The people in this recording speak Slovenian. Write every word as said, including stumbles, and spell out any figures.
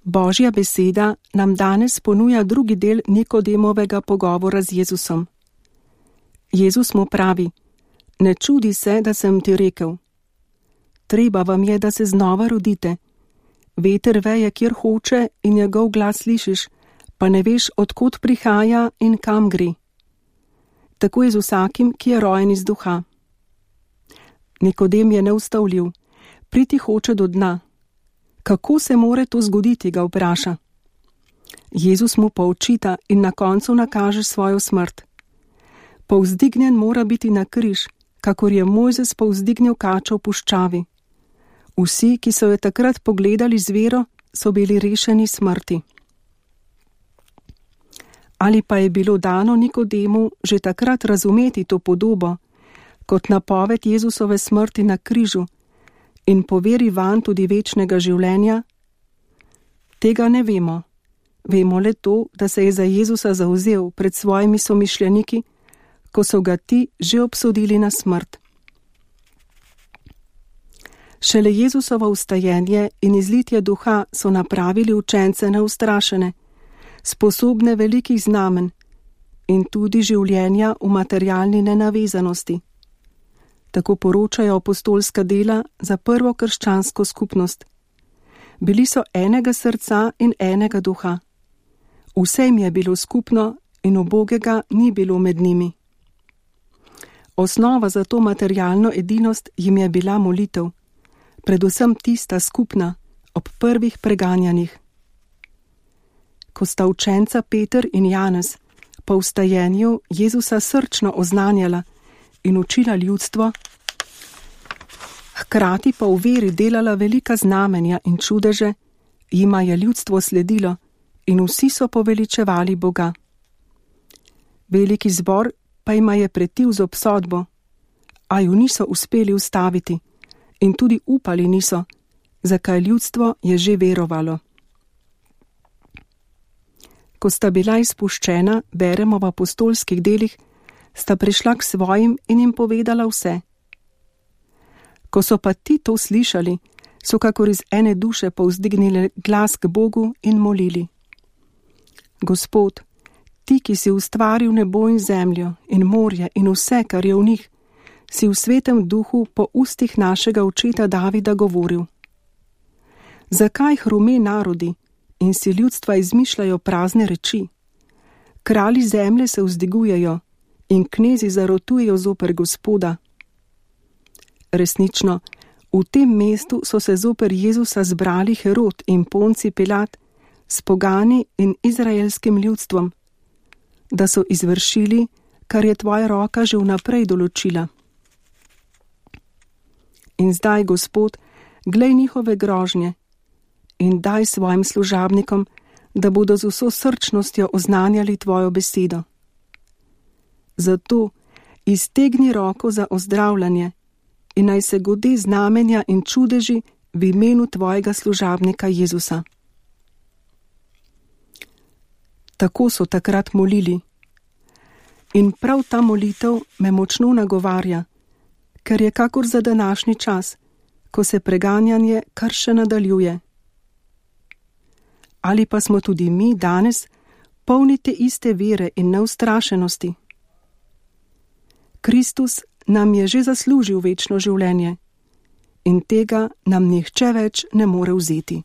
Božja beseda nam danes ponuja drugi del Nikodemovega pogovora z Jezusom. Jezus mu pravi: ne čudi se, da sem ti rekel. Treba vam je, da se znova rodite. Veter veje, kjer hoče, in njegov glas slišiš, pa ne veš, odkot prihaja in kam gre. Tako je z vsakim, ki je rojen iz duha. Nikodem je neustavljiv, priti hoče do dna. Kako se more to zgoditi, ga vpraša. Jezus mu poučita in na koncu nakaže svojo smrt. Povzdignjen mora biti na križ, kakor je Mojzes povzdignil kačo v puščavi. Vsi, ki so jo takrat pogledali z vero, so bili rešeni smrti. Ali pa je bilo dano Nikodemu že takrat razumeti to podobo, kot napoved Jezusove smrti na križu in poveri vanj tudi večnega življenja? Tega ne vemo. Vemo le to, da se je za Jezusa zavzel pred svojimi somišljeniki, ko so ga ti že obsodili na smrt. Šele Jezusovo vstajenje in izlitje duha so napravili učence neustrašene, sposobne velikih znamen in tudi življenja v materialni nenavezanosti. Tako poročajo apostolska dela za prvo krščansko skupnost. Bili so enega srca in enega duha. Vse jim je bilo skupno in ubogega ni bilo med njimi. Osnova za to materialno edinost jim je bila molitev, predvsem tista skupna, ob prvih preganjanjih. Ko sta učenca Peter in Janez po vstajenju Jezusa srčno oznanjala in učila ljudstvo, hkrati pa v veri delala velika znamenja in čudeže, jima je ljudstvo sledilo in vsi so poveličevali Boga. Veliki zbor pa jima je pretil z obsodbo, a ju niso uspeli ustaviti in tudi upali niso, zakaj ljudstvo je že verovalo. Ko sta bila izpuščena, beremo v apostolskih delih, sta prišla k svojim in jim povedala vse. Ko so pa ti to slišali, so kakor iz ene duše povzdignili glas k Bogu in molili. Gospod, ti, ki si ustvaril nebo in zemljo in morje in vse, kar je v njih, si v svetem duhu po ustih našega očeta Davida govoril. Zakaj hrume narodi in si ljudstva izmišljajo prazne reči? Kralji zemlje se vzdigujejo in knezi zarotujejo zoper Gospoda. Resnično, v tem mestu so se zoper Jezusa zbrali Herod in Ponci Pilat s pogani in izraelskim ljudstvom, da so izvršili, kar je tvoja roka že vnaprej določila. In zdaj, Gospod, glej njihove grožnje in daj svojim služabnikom, da bodo z vso srčnostjo oznanjali tvojo besedo. Zato iztegni roko za ozdravljanje in naj se godi znamenja in čudeži v imenu tvojega služabnika Jezusa. Tako so takrat molili. In prav ta molitev me močno nagovarja, ker je kakor za današnji čas, ko se preganjanje kar še nadaljuje. Ali pa smo tudi mi danes polni te iste vere in neustrašenosti? Kristus nam je že zaslužil večno življenje in tega nam nihče več ne more vzeti.